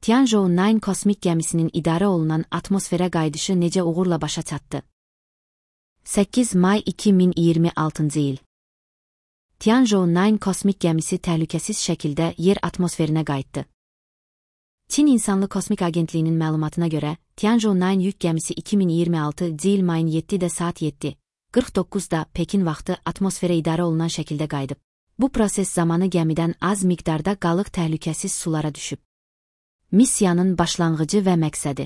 Tianzhou-9 kosmik gəmisinin idarə olunan atmosferə qayıdışı necə uğurla başa çatdı? 8 may 2026-cı il. Tianzhou-9 kosmik gəmisi təhlükəsiz şəkildə yer atmosferinə qayıtdı. Çin İnsanlı Kosmik Agentliyinin məlumatına görə, Tianzhou-9 yük gəmisi 2026-cı il mayın 7-də saat 7:49-da Pekin vaxtı atmosferə idarə olunan şəkildə qayıdıb. Bu proses zamanı gəmidən az miqdarda qalıq təhlükəsiz sulara düşüb. Missiyanın başlanğıcı və məqsədi.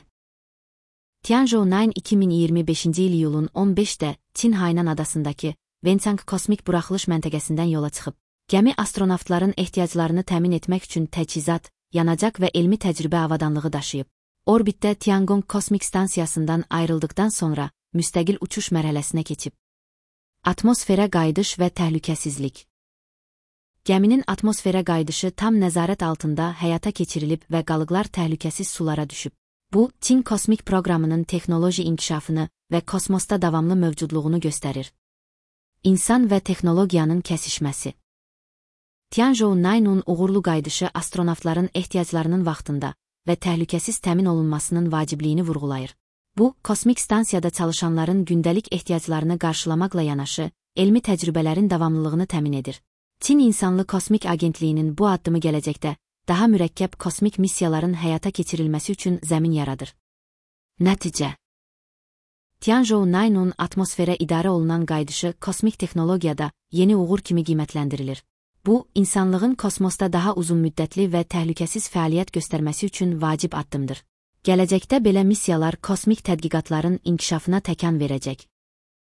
Tianzhou-9 2025-ci il iyulun 15-də Çin Hainan adasındakı Wenchang kosmik buraxılış məntəqəsindən yola çıxıb. Gəmi astronavtların ehtiyaclarını təmin etmək üçün təchizat, yanacaq və elmi təcrübə avadanlığı daşıyıb. Orbitdə Tiangong kosmik stansiyasından ayrıldıqdan sonra müstəqil uçuş mərhələsinə keçib. Atmosferə qayıdış və təhlükəsizlik. Gəminin atmosferə qayıdışı tam nəzarət altında həyata keçirilib və qalıqlar təhlükəsiz sulara düşüb. Bu, Çin kosmik proqramının texnoloji inkişafını və kosmosda davamlı mövcudluğunu göstərir. İnsan və texnologiyanın kəsişməsi. Tianzhou-9-un uğurlu qayıdışı astronavtların ehtiyaclarının vaxtında və təhlükəsiz təmin olunmasının vacibliyini vurğulayır. Bu, kosmik stansiyada çalışanların gündəlik ehtiyaclarını qarşılamaqla yanaşı, elmi təcrübələrin davamlılığını təmin edir. Çin İnsanlı Kosmik Agentliyinin bu addımı gələcəkdə daha mürəkkəb kosmik missiyaların həyata keçirilməsi üçün zəmin yaradır. Nəticə. Tianzhou-9-un atmosferə idarə olunan qayıdışı kosmik texnologiyada yeni uğur kimi qiymətləndirilir. Bu, insanlığın kosmosda daha uzun müddətli və təhlükəsiz fəaliyyət göstərməsi üçün vacib addımdır. Gələcəkdə belə missiyalar kosmik tədqiqatların inkişafına təkan verəcək.